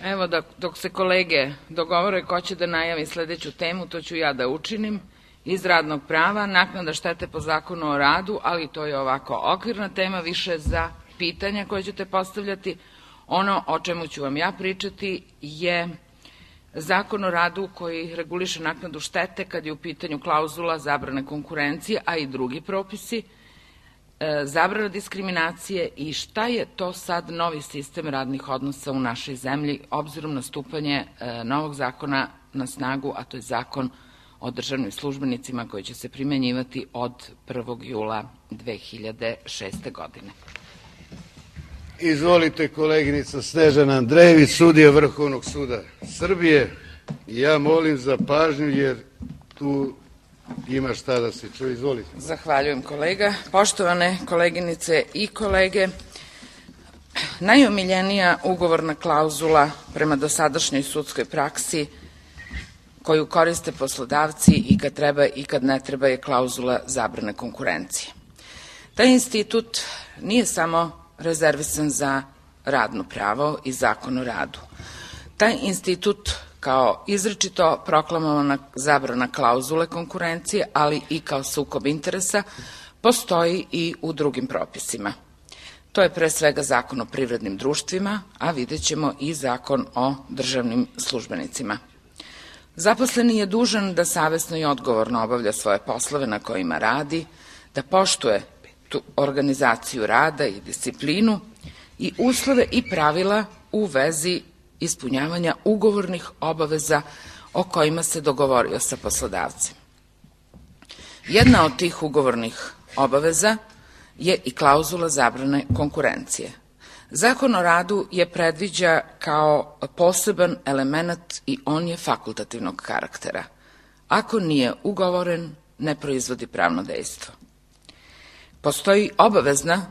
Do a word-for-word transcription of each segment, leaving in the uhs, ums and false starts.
Evo, dok se kolege dogovore ko će da najavi sledeću temu, to ću ja da učinim. Iz radnog prava, naknada štete po Zakonu o radu, ali to je ovako okvirna tema, više za pitanja koje ćete postavljati. Ono o čemu ću vam ja pričati je Zakon o radu koji reguliše naknadu štete kad je u pitanju klauzula zabrane konkurencije, a i drugi propisi, zabrana diskriminacije i šta je to sad novi sistem radnih odnosa u našoj zemlji, obzirom na stupanje novog zakona na snagu, a to je Zakon o državnim službenicima koji će se primenjivati od prvog jula dve hiljade šeste. godine. Izvolite, koleginica Snežana Andrejević, sudija Vrhovnog suda Srbije. Ja molim za pažnju jer tu ima šta da se čuje. Izvolite. Zahvaljujem, kolega. Poštovane koleginice i kolege, najomiljenija ugovorna klauzula prema dosadašnjoj sudskoj praksi koju koriste poslodavci i kad treba i kad ne treba je klauzula zabrane konkurencije. Taj institut nije samo rezervisan za radno pravo i Zakon o radu. Taj institut kao izričito proklamovana zabrana klauzule konkurencije, ali i kao sukob interesa, postoji i u drugim propisima. To je pre svega Zakon o privrednim društvima, a vidjet ćemo i Zakon o državnim službenicima. Zaposleni je dužan da savesno i odgovorno obavlja svoje poslove na kojima radi, da poštuje tu organizaciju rada i disciplinu i uslove i pravila u vezi ispunjavanja ugovornih obaveza o kojima se dogovorio sa poslodavcem. Jedna od tih ugovornih obaveza je i klauzula zabrane konkurencije. Zakon o radu je predviđa kao poseban element i on je fakultativnog karaktera. Ako nije ugovoren, ne proizvodi pravno dejstvo. Postoji obavezna,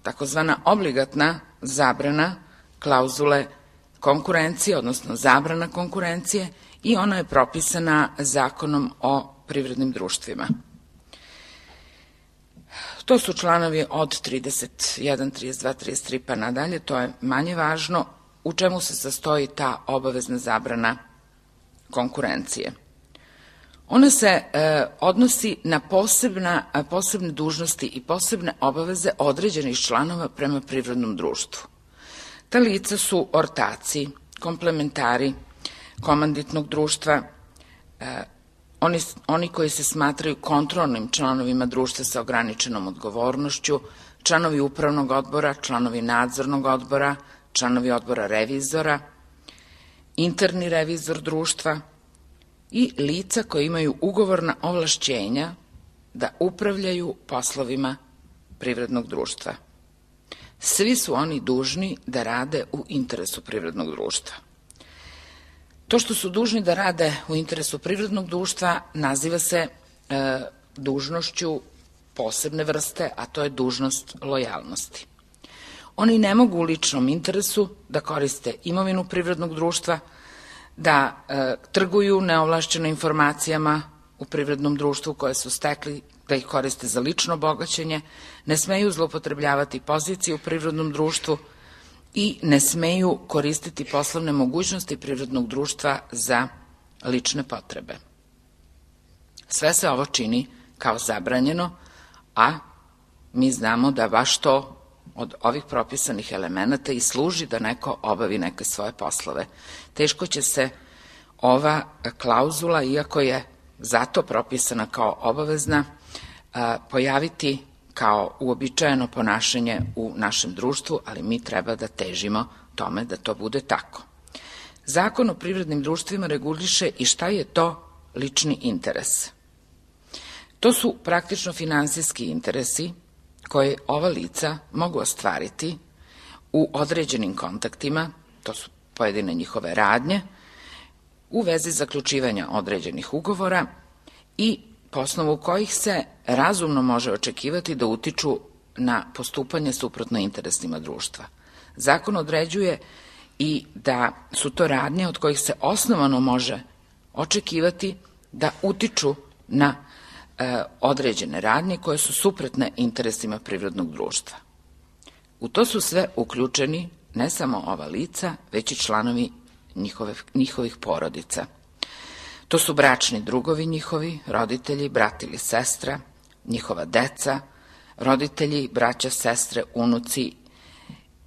takozvana obligatna zabrana klauzule konkurencije, odnosno zabrana konkurencije, i ona je propisana Zakonom o privrednim društvima. To su članovi od trideset jedan, trideset dva, trideset tri pa nadalje, to je manje važno u čemu se sastoji ta obavezna zabrana konkurencije. Ona se e, odnosi na posebna, posebne dužnosti i posebne obaveze određenih članova prema privrednom društvu. Ta lica su ortaci, komplementari komanditnog društva, e, Oni, oni koji se smatraju kontrolnim članovima društva sa ograničenom odgovornošću, članovi upravnog odbora, članovi nadzornog odbora, članovi odbora revizora, interni revizor društva i lica koji imaju ugovorna ovlašćenja da upravljaju poslovima privrednog društva. Svi su oni dužni da rade u interesu privrednog društva. To što su dužni da rade u interesu privrednog društva naziva se e, dužnošću posebne vrste, a to je dužnost lojalnosti. Oni ne mogu u ličnom interesu da koriste imovinu privrednog društva, da e, trguju neovlašćeno informacijama u privrednom društvu koje su stekli, da ih koriste za lično bogaćenje, ne smeju zloupotrebljavati pozicije u privrednom društvu i ne smeju koristiti poslovne mogućnosti privrednog društva za lične potrebe. Sve se ovo čini kao zabranjeno, a mi znamo da baš to od ovih propisanih elemenata i služi da neko obavi neke svoje poslove. Teško će se ova klauzula, iako je zato propisana kao obavezna, pojaviti kao uobičajeno ponašanje u našem društvu, ali mi treba da težimo tome da to bude tako. Zakon o privrednim društvima reguliše i šta je to lični interes. To su praktično finansijski interesi koje ova lica mogu ostvariti u određenim kontaktima, to su pojedine njihove radnje, u vezi zaključivanja određenih ugovora i po osnovu kojih se razumno može očekivati da utiču na postupanje suprotno interesima društva. Zakon određuje i da su to radnje od kojih se osnovano može očekivati da utiču na e, određene radnje koje su suprotne interesima privrednog društva. U to su sve uključeni ne samo ova lica, već i članovi njihove, njihovih porodica. To su bračni drugovi njihovi, roditelji, brat ili sestra, njihova deca, roditelji, braća, sestre, unuci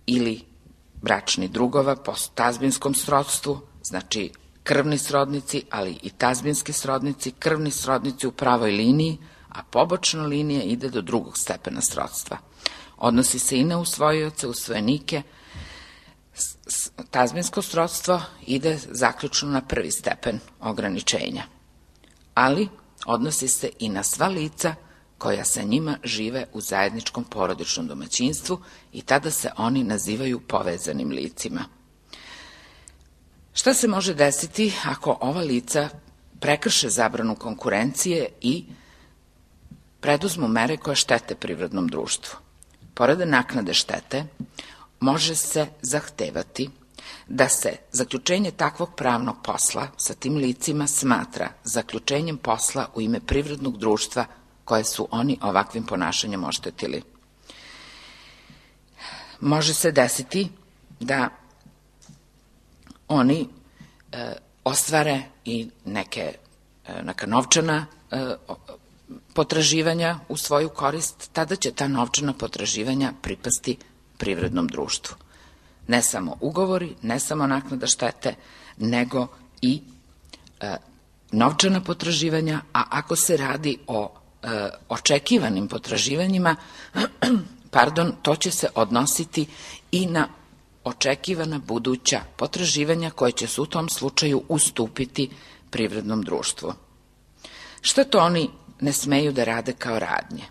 ili bračni drugova po tazbinskom srodstvu, znači krvni srodnici, ali i tazbinski srodnici, krvni srodnici u pravoj liniji, a pobočna linija ide do drugog stepena srodstva. Odnosi se i na usvojioce, usvojenike. Tazbinsko srodstvo ide zaključno na prvi stepen ograničenja, ali odnosi se i na sva lica koja sa njima žive u zajedničkom porodičnom domaćinstvu i tada se oni nazivaju povezanim licima. Šta se može desiti ako ova lica prekrše zabranu konkurencije i preduzmu mere koje štete privrednom društvu? Pored naknade štete, može se zahtevati da se zaključenje takvog pravnog posla sa tim licima smatra zaključenjem posla u ime privrednog društva koje su oni ovakvim ponašanjem oštetili. Može se desiti da oni e, ostvare i neke, e, neka novčana e, potraživanja u svoju korist, tada će ta novčana potraživanja pripasti privrednom društvu. Ne samo ugovori, ne samo naknada štete, nego i e, novčana potraživanja, a ako se radi o e, očekivanim potraživanjima, pardon, to će se odnositi i na očekivana buduća potraživanja koje će se u tom slučaju ustupiti privrednom društvu. Šta to oni ne smeju da rade kao radnje?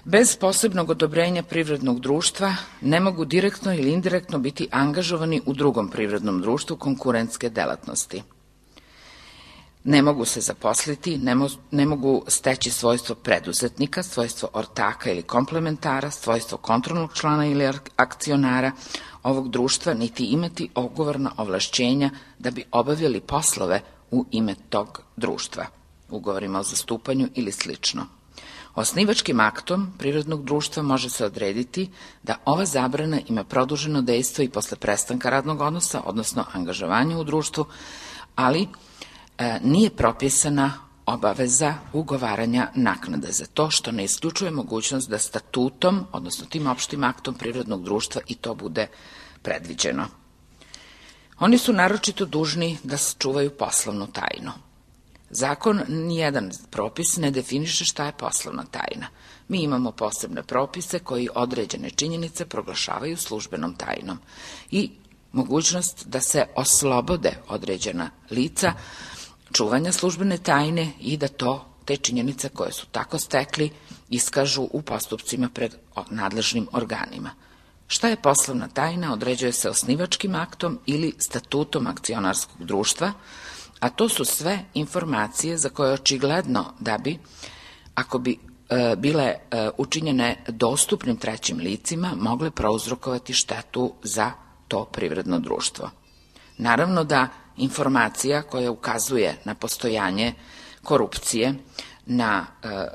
Bez posebnog odobrenja privrednog društva ne mogu direktno ili indirektno biti angažovani u drugom privrednom društvu konkurentske delatnosti. Ne mogu se zaposliti, ne, mo ne mogu steći svojstvo preduzetnika, svojstvo ortaka ili komplementara, svojstvo kontrolnog člana ili akcionara ovog društva, niti imati ugovorna ovlašćenja da bi obavljali poslove u ime tog društva, ugovorima o zastupanju ili slično. Osnivačkim aktom privrednog društva može se odrediti da ova zabrana ima produženo dejstvo i posle prestanka radnog odnosa, odnosno angažovanja u društvu, ali e, nije propisana obaveza ugovaranja naknade za to, što ne isključuje mogućnost da statutom, odnosno tim opštim aktom privrednog društva i to bude predviđeno. Oni su naročito dužni da sačuvaju poslovnu tajnu. Zakon, nijedan propis ne definiše šta je poslovna tajna. Mi imamo posebne propise koji određene činjenice proglašavaju službenom tajnom i mogućnost da se oslobode određena lica čuvanja službene tajne i da to, te činjenice koje su tako stekli, iskažu u postupcima pred nadležnim organima. Šta je poslovna tajna određuje se osnivačkim aktom ili statutom akcionarskog društva, a to su sve informacije za koje je očigledno da bi, ako bi e, bile e, učinjene dostupnim trećim licima, mogle prouzrokovati štetu za to privredno društvo. Naravno da informacija koja ukazuje na postojanje korupcije, na e,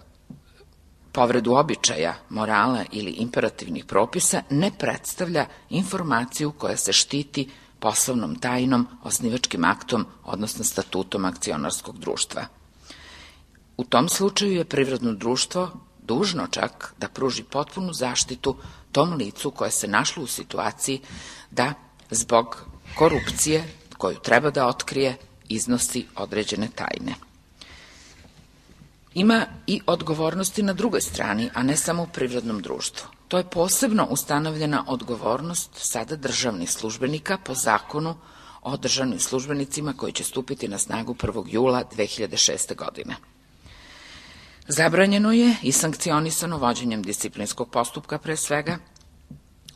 povredu običaja, morala ili imperativnih propisa, ne predstavlja informaciju koja se štiti poslovnom tajnom, osnivačkim aktom, odnosno statutom akcionarskog društva. U tom slučaju je privredno društvo dužno čak da pruži potpunu zaštitu tom licu koje se našlo u situaciji da zbog korupcije koju treba da otkrije iznosi određene tajne. Ima i odgovornosti na drugoj strani, a ne samo u privrednom društvu. To je posebno ustanovljena odgovornost sada državnih službenika po zakonu o državnim službenicima koji će stupiti na snagu prvog jula dve hiljade šeste. godine. Zabranjeno je i sankcionisano vođenjem disciplinskog postupka pre svega,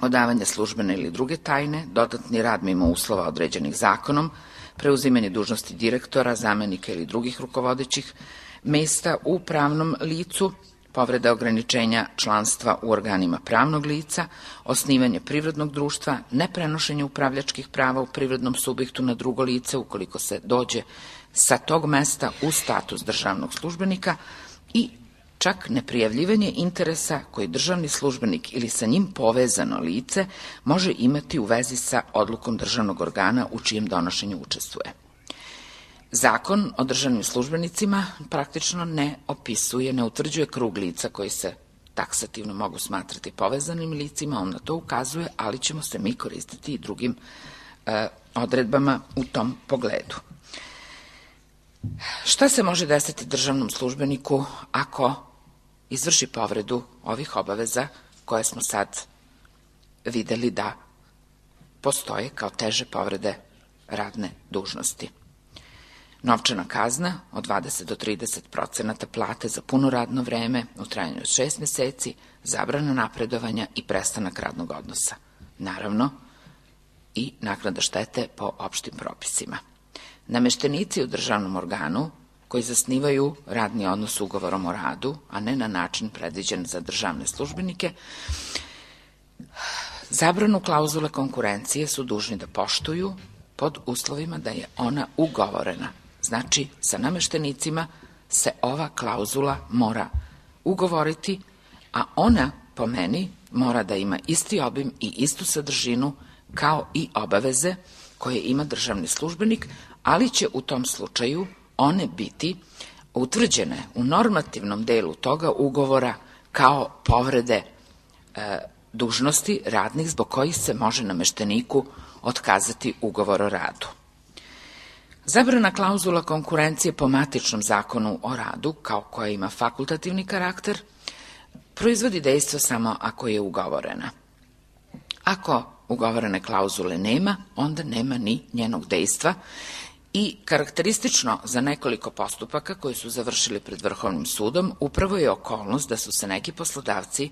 odavanje službene ili druge tajne, dodatni rad mimo uslova određenih zakonom, preuzimanje dužnosti direktora, zamenika ili drugih rukovodećih mesta u pravnom licu, povreda ograničenja članstva u organima pravnog lica, osnivanje privrednog društva, neprenošenje upravljačkih prava u privrednom subjektu na drugo lice ukoliko se dođe sa tog mesta u status državnog službenika i čak neprijavljivanje interesa koji državni službenik ili sa njim povezano lice može imati u vezi sa odlukom državnog organa u čijem donošenju učestvuje. Zakon o državnim službenicima praktično ne opisuje, ne utvrđuje krug lica koji se taksativno mogu smatrati povezanim licima, on na to ukazuje, ali ćemo se mi koristiti i drugim e, odredbama u tom pogledu. Šta se može desiti državnom službeniku ako izvrši povredu ovih obaveza koje smo sad videli da postoje kao teže povrede radne dužnosti? Novčana kazna od dvadeset do trideset procenata plate za puno radno vreme u trajanju od šest meseci, zabrana napredovanja i prestanak radnog odnosa. Naravno, i naknada štete po opštim propisima. Nameštenici u državnom organu koji zasnivaju radni odnos ugovorom o radu, a ne na način predviđen za državne službenike, zabranu klauzule konkurencije su dužni da poštuju pod uslovima da je ona ugovorena. Znači, sa nameštenicima se ova klauzula mora ugovoriti, a ona, po meni, mora da ima isti obim i istu sadržinu kao i obaveze koje ima državni službenik, ali će u tom slučaju one biti utvrđene u normativnom delu toga ugovora kao povrede e, dužnosti radnih zbog kojih se može namešteniku otkazati ugovor o radu. Zabrana klauzula konkurencije po matičnom zakonu o radu, kao koja ima fakultativni karakter, proizvodi dejstvo samo ako je ugovorena. Ako ugovorene klauzule nema, onda nema ni njenog dejstva i karakteristično za nekoliko postupaka koji su završili pred Vrhovnim sudom upravo je okolnost da su se neki poslodavci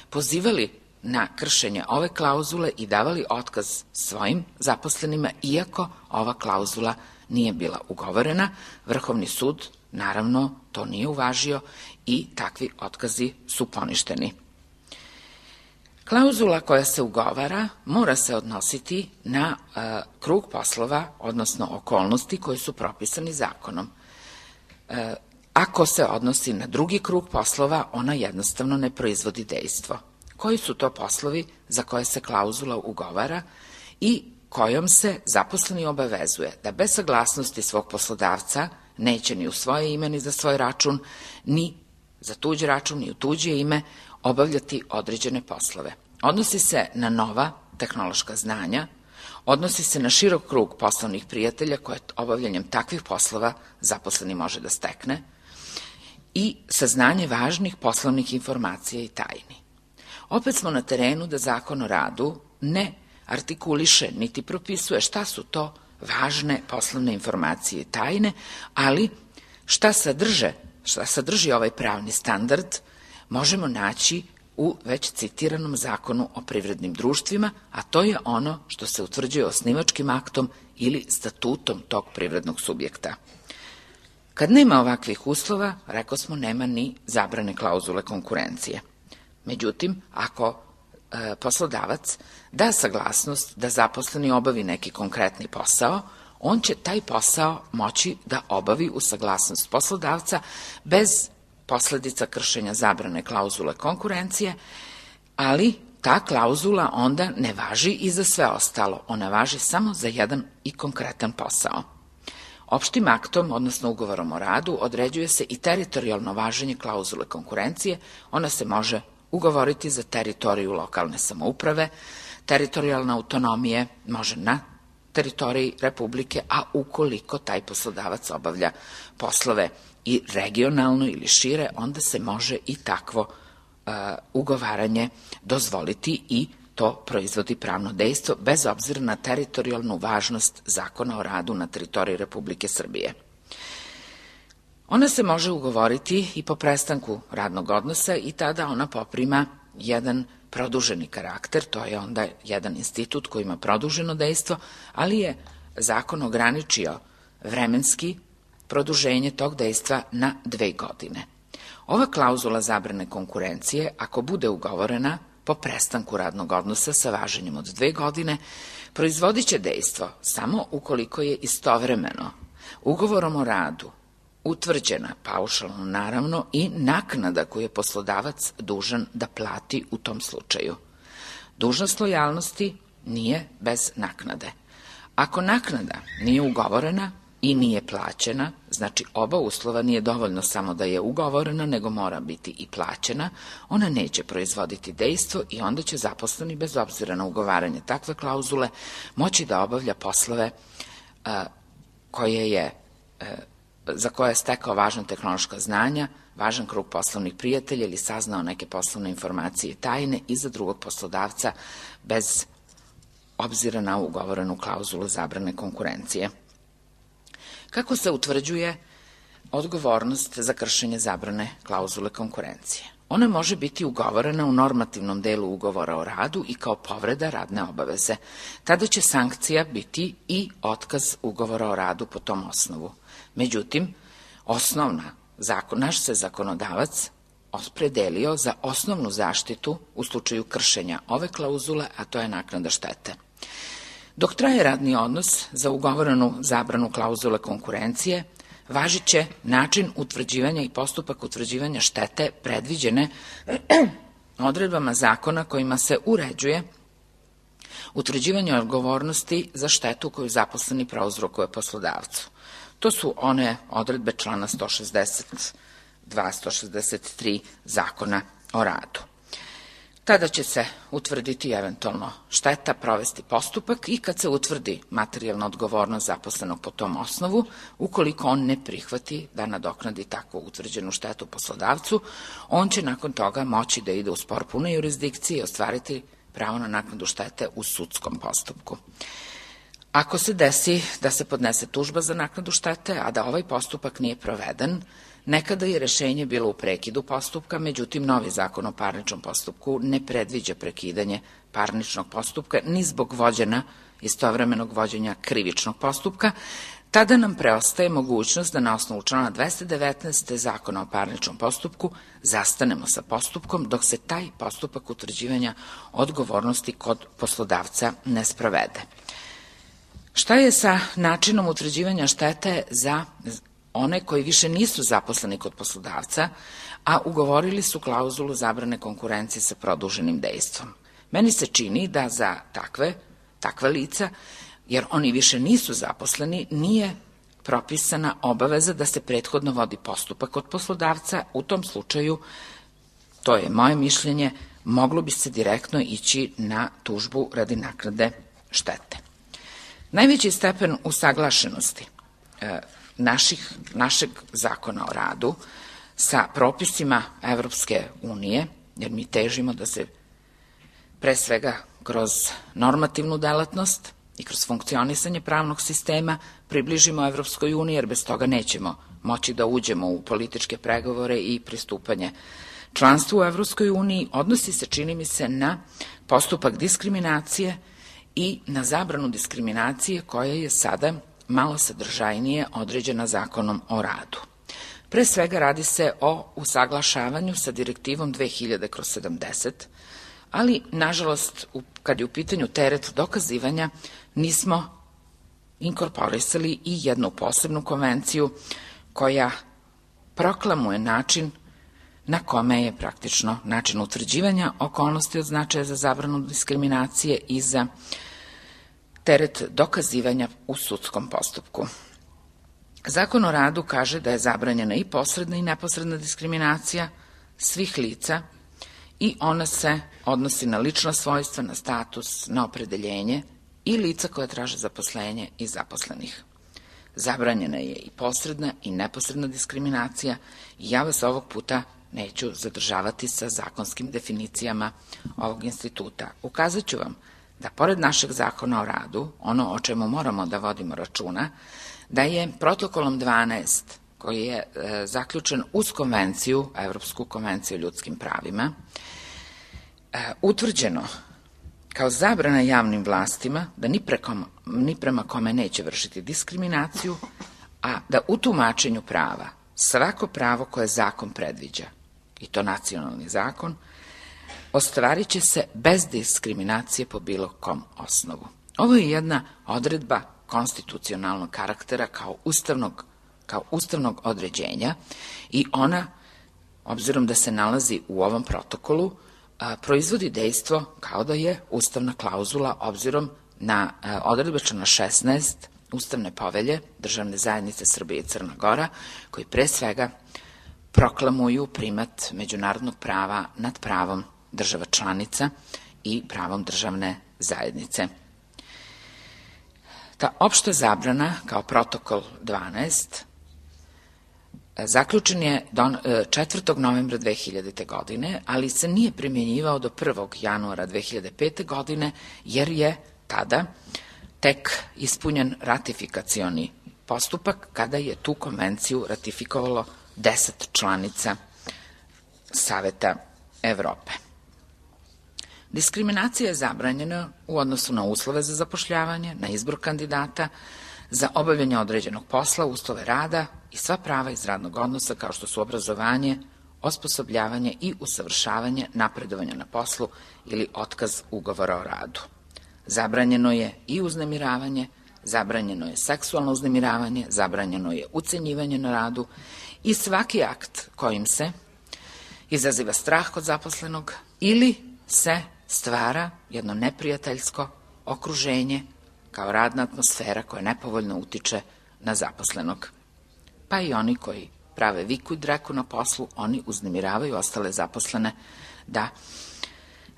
pozivali na kršenje ove klauzule i davali otkaz svojim zaposlenima, iako ova klauzula nije bila ugovorena. Vrhovni sud, naravno, to nije uvažio i takvi otkazi su poništeni. Klauzula koja se ugovara mora se odnositi na e, krug poslova, odnosno okolnosti koje su propisani zakonom. E, ako se odnosi na drugi krug poslova, ona jednostavno ne proizvodi dejstvo. Koji su to poslovi za koje se klauzula ugovara i kojom se zaposleni obavezuje da bez saglasnosti svog poslodavca neće ni u svoje ime ni za svoj račun, ni za tuđ račun, ni u tuđe ime obavljati određene poslove. Odnosi se na nova tehnološka znanja, odnosi se na širok krug poslovnih prijatelja koje obavljanjem takvih poslova zaposleni može da stekne i saznanje važnih poslovnih informacija i tajni. Opet smo na terenu da Zakon o radu ne artikuliše niti propisuje šta su to važne poslovne informacije i tajne, ali šta sadrže, šta sadrži ovaj pravni standard možemo naći u već citiranom Zakonu o privrednim društvima, a to je ono što se utvrđuje osnivačkim aktom ili statutom tog privrednog subjekta. Kad nema ovakvih uslova, rekao smo, nema ni zabrane klauzule konkurencije. Međutim, ako e, poslodavac da saglasnost da zaposleni obavi neki konkretni posao, on će taj posao moći da obavi u saglasnost poslodavca bez posledica kršenja zabrane klauzule konkurencije, ali ta klauzula onda ne važi i za sve ostalo, ona važi samo za jedan i konkretan posao. Opštim aktom, odnosno ugovorom o radu, određuje se i teritorijalno važenje klauzule konkurencije, ona se može ugovoriti za teritoriju lokalne samouprave, teritorijalna autonomije može na teritoriji Republike, a ukoliko taj poslodavac obavlja poslove i regionalno ili šire, onda se može i takvo uh, ugovaranje dozvoliti i to proizvodi pravno dejstvo bez obzira na teritorijalnu važnost Zakona o radu na teritoriji Republike Srbije. Ona se može ugovoriti i po prestanku radnog odnosa i tada ona poprima jedan produženi karakter, to je onda jedan institut koji ima produženo dejstvo, ali je zakon ograničio vremenski produženje tog dejstva na dve godine. Ova klauzula zabrane konkurencije, ako bude ugovorena po prestanku radnog odnosa sa važenjem od dve godine, proizvodit će dejstvo samo ukoliko je istovremeno ugovorom o radu utvrđena paušalno naravno i naknada koju je poslodavac dužan da plati u tom slučaju. Dužnost lojalnosti nije bez naknade. Ako naknada nije ugovorena i nije plaćena, znači oba uslova nije dovoljno samo da je ugovorena, nego mora biti i plaćena, ona neće proizvoditi dejstvo i onda će zaposleni, bez obzira na ugovaranje takve klauzule, moći da obavlja poslove a, koje je, a, za koje je stekao važna tehnološka znanja, važan krug poslovnih prijatelja ili saznao neke poslovne informacije i tajne i za drugog poslodavca bez obzira na ugovorenu klauzulu zabrane konkurencije. Kako se utvrđuje odgovornost za kršenje zabrane klauzule konkurencije? Ona može biti ugovorena u normativnom delu ugovora o radu i kao povreda radne obaveze. Tada će sankcija biti i otkaz ugovora o radu po tom osnovu. Međutim, osnovna zakon, naš se zakonodavac opredelio za osnovnu zaštitu u slučaju kršenja ove klauzule, a to je naknada štete. Dok traje radni odnos za ugovorenu zabranu klauzule konkurencije, važit će način utvrđivanja i postupak utvrđivanja štete predviđene odredbama zakona kojima se uređuje utvrđivanje odgovornosti za štetu koju zaposleni prouzrokuje poslodavcu. To su one odredbe člana sto šezdeset dva sto šezdeset tri Zakona o radu. Tada će se utvrditi eventualno šteta, provesti postupak i kad se utvrdi materijalna odgovornost zaposlenog po tom osnovu, ukoliko on ne prihvati da nadoknadi takvu utvrđenu štetu poslodavcu, on će nakon toga moći da ide u spor pune jurisdikcije i ostvariti pravo na naknadu štete u sudskom postupku. Ako se desi da se podnese tužba za naknadu štete, a da ovaj postupak nije proveden, nekada je rešenje bilo u prekidu postupka, međutim novi zakon o parničnom postupku ne predviđa prekidanje parničnog postupka ni zbog vođena istovremenog vođenja krivičnog postupka, tada nam preostaje mogućnost da na osnovu člana dvesta devetnaest Zakona o parničnom postupku zastanemo sa postupkom dok se taj postupak utvrđivanja odgovornosti kod poslodavca ne sprovede. Šta je sa načinom utvrđivanja štete za one koji više nisu zaposleni kod poslodavca, a ugovorili su klauzulu zabrane konkurencije sa produženim dejstvom? Meni se čini da za takve, takva lica, jer oni više nisu zaposleni, nije propisana obaveza da se prethodno vodi postupak kod poslodavca. U tom slučaju, to je moje mišljenje, moglo bi se direktno ići na tužbu radi naknade štete. Najveći stepen usaglašenosti e, naših, našeg zakona o radu sa propisima Evropske unije, jer mi težimo da se pre svega kroz normativnu delatnost i kroz funkcionisanje pravnog sistema približimo Evropskoj uniji, jer bez toga nećemo moći da uđemo u političke pregovore i pristupanje članstvu u Evropskoj uniji, odnosi se, čini mi se, na postupak diskriminacije i na zabranu diskriminacije koja je sada malo sadržajnije određena zakonom o radu. Pre svega radi se o usaglašavanju sa direktivom dve hiljade kroz sedamdeset, ali nažalost kad je u pitanju teret dokazivanja nismo inkorporisali i jednu posebnu konvenciju koja proklamuje način na kome je praktično način utvrđivanja okolnosti od značaja za zabranu diskriminacije i za teret dokazivanja u sudskom postupku. Zakon o radu kaže da je zabranjena i posredna i neposredna diskriminacija svih lica i ona se odnosi na lična svojstva, na status, na opredeljenje i lica koje traže zaposlenje i zaposlenih. Zabranjena je i posredna i neposredna diskriminacija i ja vas ovog puta neću zadržavati sa zakonskim definicijama ovog instituta. Ukazat ću vam da pored našeg zakona o radu, ono o čemu moramo da vodimo računa, da je protokolom dvanaest, koji je e, zaključen uz konvenciju, Evropsku konvenciju o ljudskim pravima, e, utvrđeno kao zabrana javnim vlastima da ni, preko, ni prema kome neće vršiti diskriminaciju, a da u tumačenju prava svako pravo koje zakon predviđa, i to nacionalni zakon, ostvarit će se bez diskriminacije po bilo kom osnovu. Ovo je jedna odredba konstitucionalnog karaktera kao ustavnog kao ustavnog određenja i ona, obzirom da se nalazi u ovom protokolu, proizvodi dejstvo kao da je ustavna klauzula obzirom na odredbe člana šesnaest Ustavne povelje Državne zajednice Srbije i Crna Gora, koji pre svega proklamuju primat međunarodnog prava nad pravom država članica i pravom državne zajednice. Ta opšta zabrana, kao protokol dvanaest, zaključen je četvrtog novembra dve hiljadite. godine, ali se nije primjenjivao do prvog januara dve hiljade pete. godine, jer je tada tek ispunjen ratifikacioni postupak kada je tu konvenciju ratifikovalo deset članica Saveta Evrope. Diskriminacija je zabranjena u odnosu na uslove za zapošljavanje, na izbor kandidata, za obavljanje određenog posla, uslove rada i sva prava iz radnog odnosa kao što su obrazovanje, osposobljavanje i usavršavanje, napredovanje na poslu ili otkaz ugovora o radu. Zabranjeno je i uznemiravanje, zabranjeno je seksualno uznemiravanje, zabranjeno je ucenjivanje na radu i svaki akt kojim se izaziva strah kod zaposlenog ili se stvara jedno neprijateljsko okruženje kao radna atmosfera koja nepovoljno utiče na zaposlenog. Pa i oni koji prave viku i dreku na poslu, oni uznemiravaju ostale zaposlene da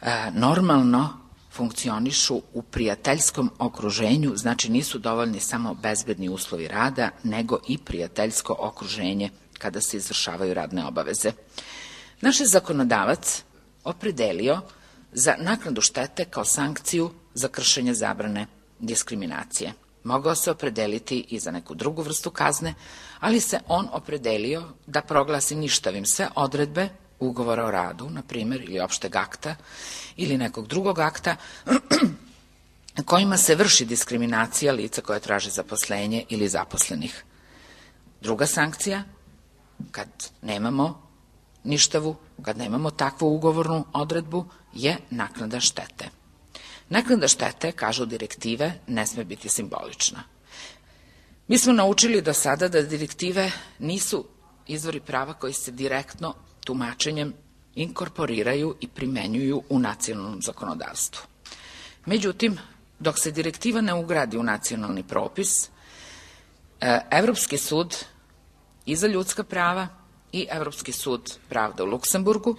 e, normalno funkcionišu u prijateljskom okruženju, znači nisu dovoljni samo bezbedni uslovi rada, nego i prijateljsko okruženje kada se izvršavaju radne obaveze. Naš je zakonodavac opredelio za naknadu štete kao sankciju za kršenje zabrane diskriminacije. Mogao se opredeliti i za neku drugu vrstu kazne, ali se on opredelio da proglasi ništavim sve odredbe ugovora o radu, na primjer, ili opšteg akta, ili nekog drugog akta, kojima se vrši diskriminacija lica koja traže zaposlenje ili zaposlenih. Druga sankcija, kad nemamo ništavu, kad nemamo takvu ugovornu odredbu, je naknada štete. Naknada štete, kažu direktive, ne sme biti simbolična. Mi smo naučili do sada da direktive nisu izvori prava koji se direktno tumačenjem inkorporiraju i primenjuju u nacionalnom zakonodavstvu. Međutim, dok se direktiva ne ugradi u nacionalni propis, Evropski sud i za ljudska prava i Evropski sud pravde u Luksemburgu,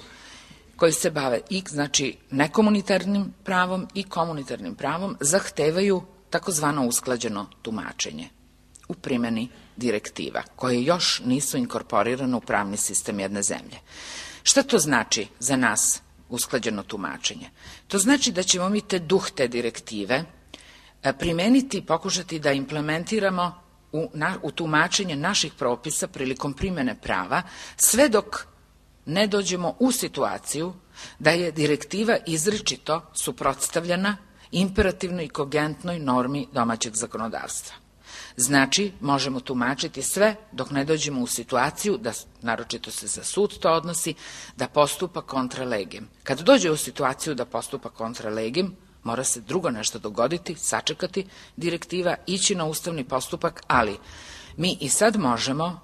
koji se bave i znači nekomunitarnim pravom i komunitarnim pravom, zahtevaju takozvano usklađeno tumačenje u primjeni direktiva, koje još nisu inkorporirane u pravni sistem jedne zemlje. Šta to znači za nas usklađeno tumačenje? To znači da ćemo mi te duh te direktive primeniti i pokušati da implementiramo u, na, u tumačenje naših propisa prilikom primjene prava, sve dok ne dođemo u situaciju da je direktiva izričito suprotstavljena imperativnoj i kogentnoj normi domaćeg zakonodavstva. Znači, možemo tumačiti sve dok ne dođemo u situaciju, da naročito se za sud to odnosi, da postupa kontra legem. Kad dođe u situaciju da postupa kontra legem, mora se drugo nešto dogoditi, sačekati direktiva, ići na ustavni postupak, ali mi i sad možemo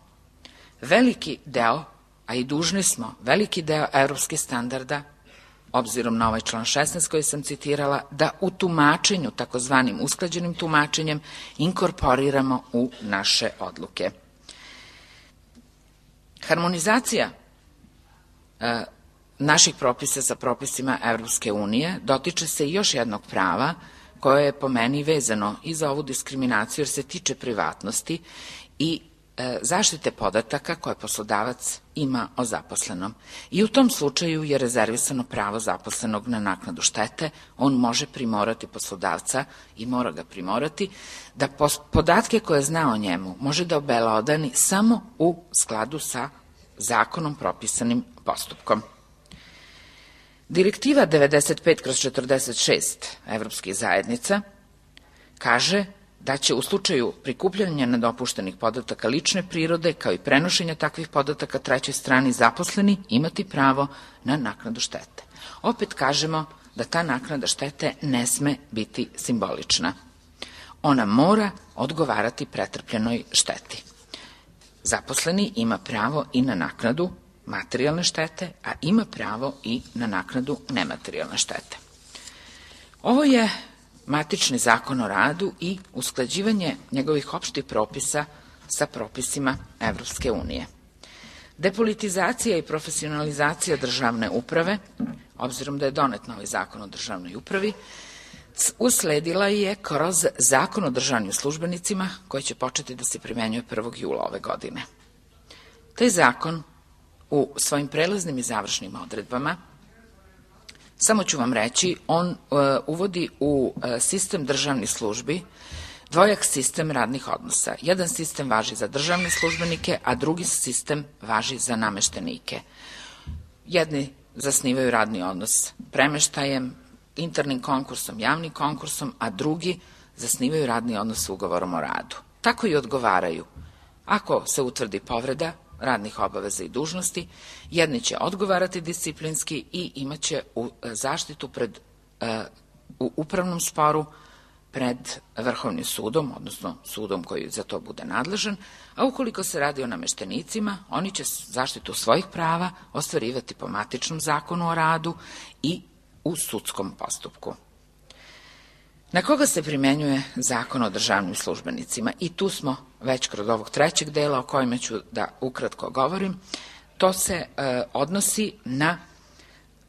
veliki deo, a i dužni smo veliki deo evropskih standarda, obzirom na ovaj član šesnaest koji sam citirala, da u tumačenju, takozvanim usklađenim tumačenjem, inkorporiramo u naše odluke. Harmonizacija e, naših propisa sa propisima Evropske unije dotiče se još jednog prava koje je po meni vezano i za ovu diskriminaciju jer se tiče privatnosti i e, zaštite podataka koje poslodavac ima o zaposlenom. I u tom slučaju je rezervisano pravo zaposlenog na naknadu štete. On može primorati poslodavca i mora ga primorati da podatke koje zna o njemu može da obelodani samo u skladu sa zakonom propisanim postupkom. Direktiva devedeset pet kroz četrdeset šest Evropskih zajednica kaže da će u slučaju prikupljanja nedopuštenih podataka lične prirode, kao i prenošenja takvih podataka trećoj strani, zaposleni imati pravo na naknadu štete. Opet kažemo da ta naknada štete ne sme biti simbolična. Ona mora odgovarati pretrpljenoj šteti. zaposleni ima pravo i na naknadu materijalne štete, a ima pravo i na naknadu nematerijalne štete. Ovo je matični zakon o radu i usklađivanje njegovih opštih propisa sa propisima Evropske unije. Depolitizacija i profesionalizacija državne uprave, obzirom da je donet novi zakon o državnoj upravi, usledila je kroz zakon o državnim službenicima koji će početi da se primenjuje prvog jula ove godine. Taj zakon u svojim prelaznim i završnim odredbama, samo ću vam reći, on uh, uvodi u uh, sistem državnih službi dvojak sistem radnih odnosa. Jedan sistem važi za državne službenike, a drugi sistem važi za nameštenike. Jedni zasnivaju radni odnos premeštajem, internim konkursom, javnim konkursom, a drugi zasnivaju radni odnos ugovorom o radu. Tako i odgovaraju. Ako se utvrdi povreda radnih obaveza i dužnosti, jedni će odgovarati disciplinski i imaće zaštitu pred, u upravnom sporu pred Vrhovnim sudom, odnosno sudom koji za to bude nadležan, a ukoliko se radi o nameštenicima, oni će zaštitu svojih prava ostvarivati po matičnom zakonu o radu i u sudskom postupku. Na koga se primenjuje zakon o državnim službenicima? I tu smo već kroz ovog trećeg dela o kojima ću da ukratko govorim. To se e, odnosi na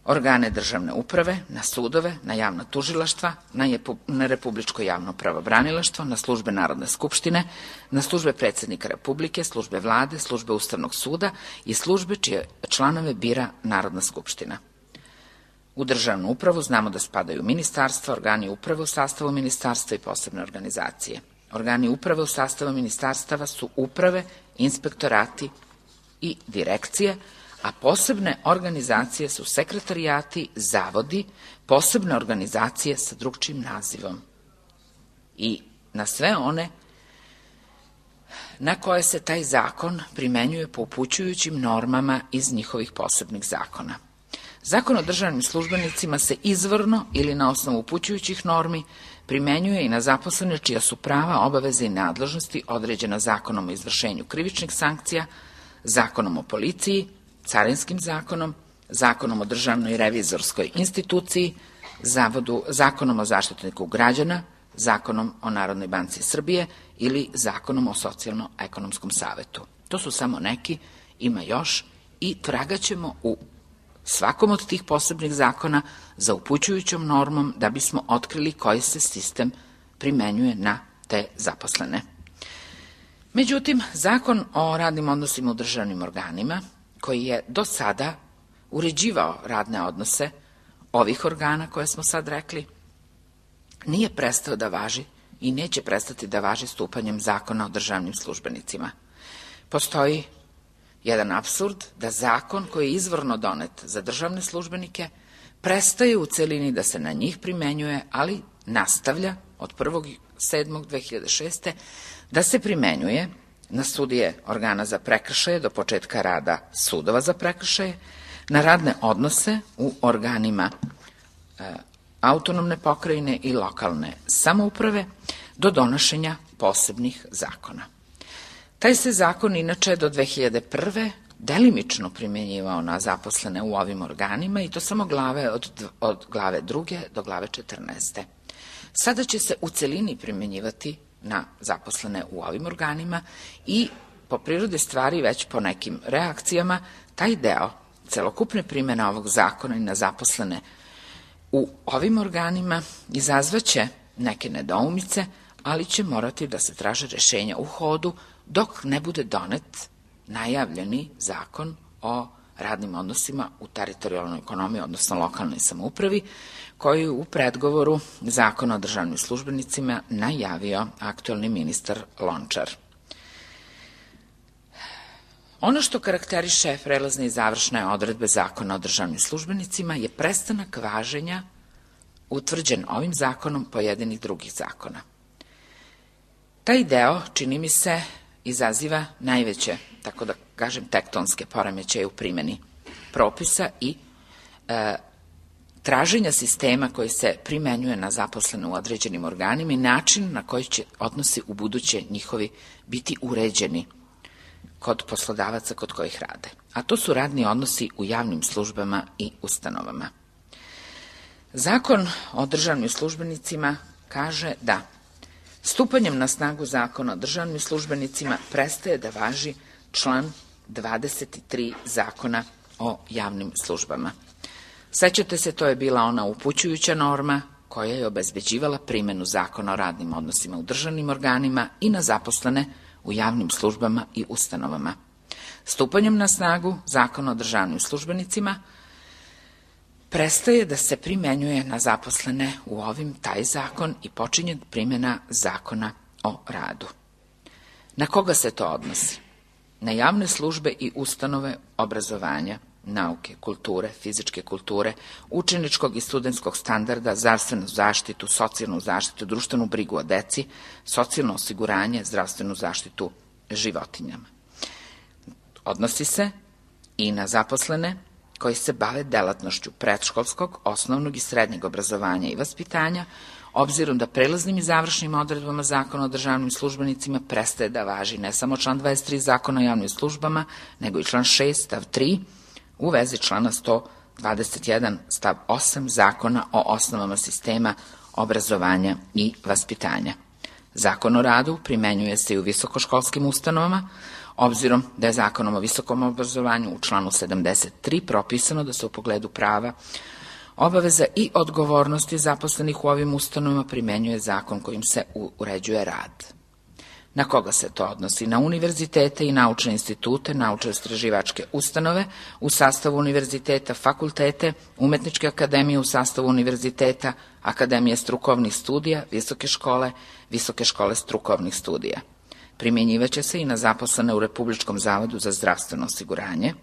organe državne uprave, na sudove, na javna tužilaštva, na, jepu, na Republičko javno pravobranilaštvo, na službe Narodne skupštine, na službe predsjednika Republike, službe vlade, službe Ustavnog suda i službe čije članove bira Narodna skupština. U državnu upravu znamo da spadaju ministarstva, organi uprave u sastavu ministarstva i posebne organizacije. Organi uprave u sastavu ministarstava su uprave, inspektorati i direkcije, a posebne organizacije su sekretarijati, zavodi, posebne organizacije sa drugčijim nazivom. I na sve one na koje se taj zakon primenjuje po upućujućim normama iz njihovih posebnih zakona. Zakon o državnim službenicima se izvorno ili na osnovu upućujućih normi primenjuje i na zaposlene čija su prava, obaveze i nadležnosti određena Zakonom o izvršenju krivičnih sankcija, Zakonom o policiji, Carinskim zakonom, Zakonom o državnoj revizorskoj instituciji, Zavodu, Zakonom o zaštitniku građana, Zakonom o Narodnoj banci Srbije ili Zakonom o socijalno-ekonomskom savetu. To su samo neki, ima još i tragaćemo u svakom od tih posebnih zakona za upućujućom normom da bismo otkrili koji se sistem primenjuje na te zaposlene. Međutim, Zakon o radnim odnosima u državnim organima, koji je do sada uređivao radne odnose ovih organa koje smo sad rekli, nije prestao da važi i neće prestati da važi stupanjem Zakona o državnim službenicima. Postoji jedan apsurd da zakon koji je izvorno donet za državne službenike prestaje u celini da se na njih primenjuje, ali nastavlja od prvog sedmog dve hiljade šeste. da se primenjuje na sudije organa za prekršaje do početka rada sudova za prekršaje, na radne odnose u organima e, autonomne pokrajine i lokalne samouprave do donošenja posebnih zakona. Taj se zakon inače do dve hiljade prve. delimično primjenjivao na zaposlene u ovim organima i to samo glave od, od glave druge do glave četrnaeste. Sada će se u celini primjenjivati na zaposlene u ovim organima i po prirodi stvari već po nekim reakcijama taj deo celokupne primjene ovog zakona i na zaposlene u ovim organima izazvaće neke nedoumice, ali će morati da se traže rešenja u hodu dok ne bude donet najavljeni zakon o radnim odnosima u teritorijalnoj ekonomiji, odnosno lokalnoj samoupravi, koji u predgovoru Zakona o državnim službenicima najavio aktuelni ministar Lončar. Ono što karakteriše prelazne i završne odredbe Zakona o državnim službenicima je prestanak važenja utvrđen ovim zakonom pojedinih drugih zakona. Taj deo, čini mi se, izaziva najveće, tako da kažem, tektonske poremećaje u primjeni propisa i e, traženja sistema koji se primenjuje na zaposlene u određenim organima i način na koji će odnosi u buduće njihovi biti uređeni kod poslodavaca kod kojih rade, a to su radni odnosi u javnim službama i ustanovama. Zakon o državnim službenicima kaže da stupanjem na snagu Zakona o državnim službenicima prestaje da važi član dvadeset tri Zakona o javnim službama. Sećate se, to je bila ona upućujuća norma koja je obezbeđivala primenu Zakona o radnim odnosima u državnim organima i na zaposlene u javnim službama i ustanovama. Stupanjem na snagu Zakona o državnim službenicima prestaje da se primenjuje na zaposlene u ovim taj zakon i počinje primjena Zakona o radu. Na koga se to odnosi? Na javne službe i ustanove obrazovanja, nauke, kulture, fizičke kulture, učeničkog i studentskog standarda, zdravstvenu zaštitu, socijalnu zaštitu, društvenu brigu o deci, socijalno osiguranje, zdravstvenu zaštitu životinjama. Odnosi se i na zaposlene koji se bave delatnošću predškolskog, osnovnog i srednjeg obrazovanja i vaspitanja, obzirom da prelaznim i završnim odredbama Zakona o državnim službenicima prestaje da važi ne samo član dvadeset tri Zakona o javnim službama, nego i član šest stav tri u vezi člana sto dvadeset jedan stav osam Zakona o osnovama sistema obrazovanja i vaspitanja. Zakon o radu primenjuje se i u visokoškolskim ustanovama, obzirom da je Zakonom o visokom obrazovanju u članu sedamdeset tri propisano da se u pogledu prava, obaveza i odgovornosti zaposlenih u ovim ustanovama primenjuje zakon kojim se uređuje rad. Na koga se to odnosi? Na univerzitete i naučne institute, naučno-istraživačke ustanove u sastavu univerziteta, fakultete, umetničke akademije u sastavu univerziteta, akademije strukovnih studija, visoke škole, visoke škole strukovnih studija. Primjenjivaće se i na zaposlene u Republičkom zavodu za zdravstveno osiguranje,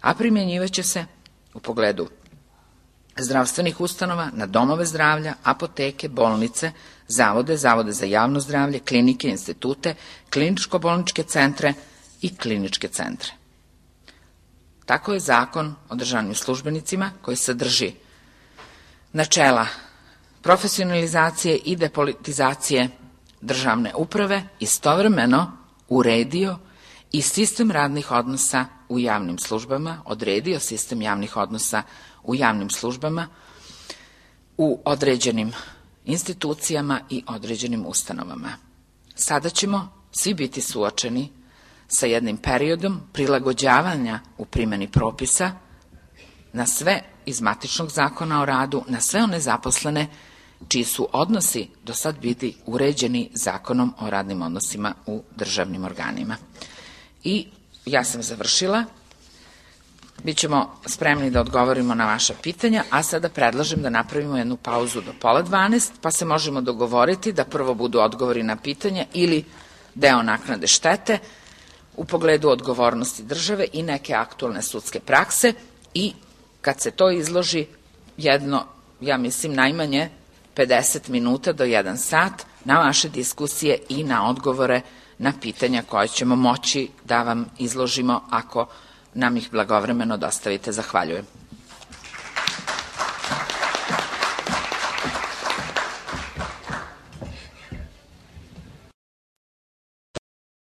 a primjenjivaće se u pogledu zdravstvenih ustanova na domove zdravlja, apoteke, bolnice, zavode, zavode za javno zdravlje, klinike, institute, kliničko-bolničke centre i kliničke centre. Tako je Zakon o državnim službenicima, koji sadrži načela profesionalizacije i depolitizacije državne uprave, istovremeno uredio i sistem radnih odnosa u javnim službama, odredio sistem javnih odnosa u javnim službama, u određenim institucijama i određenim ustanovama. Sada ćemo svi biti suočeni sa jednim periodom prilagođavanja u primjeni propisa na sve iz matičnog zakona o radu, na sve one zaposlene čiji su odnosi do sad bili uređeni Zakonom o radnim odnosima u državnim organima. I ja sam završila. Bićemo spremni da odgovorimo na vaša pitanja, a sada predlažem da napravimo jednu pauzu do pola dvanaest, pa se možemo dogovoriti da prvo budu odgovori na pitanja ili deo naknade štete u pogledu odgovornosti države i neke aktualne sudske prakse i kad se to izloži jedno, ja mislim, najmanje pedeset minuta do jedan sat na vaše diskusije i na odgovore na pitanja koje ćemo moći da vam izložimo ako nam ih blagovremeno dostavite. Zahvaljujem.